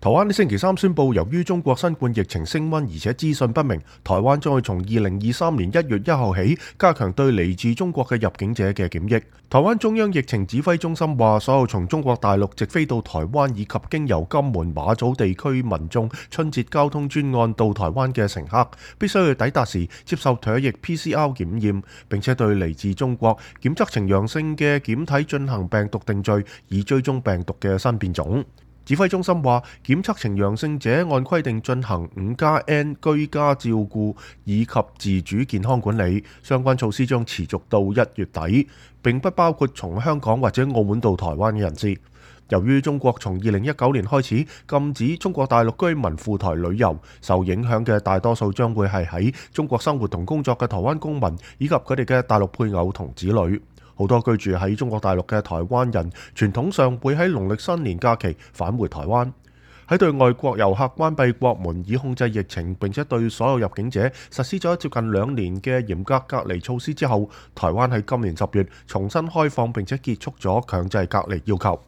台灣喺星期三宣布，由於中國新冠疫情升溫，而且資訊不明，台灣將會從2023年1月1號起加強對嚟自中國嘅入境者嘅檢疫。台灣中央疫情指揮中心話，所有從中國大陸直飛到台灣以及經由金門、馬祖地區民眾春節交通專案到台灣嘅乘客，必須要抵達時接受唾液 PCR 檢驗，並且對嚟自中國檢測呈陽性嘅檢體進行病毒定序，以追蹤病毒嘅新變種。指揮中心話，檢測呈陽性者按規定進行5+N 居家照顧以及自主健康管理，相關措施將持續到1月底，並不包括從香港或者澳門到台灣嘅人士。由於中國從2019年開始禁止中國大陸居民赴台旅遊，受影響嘅大多數將會係喺中國生活同工作嘅台灣公民以及佢哋嘅大陸配偶同子女。好多居住喺中國大陸嘅台灣人，傳統上會喺農曆新年假期返回台灣。喺對外國遊客關閉國門以控制疫情，並且對所有入境者實施咗接近2年嘅嚴格隔離措施之後，台灣喺今年10月重新開放並且結束咗強制隔離要求。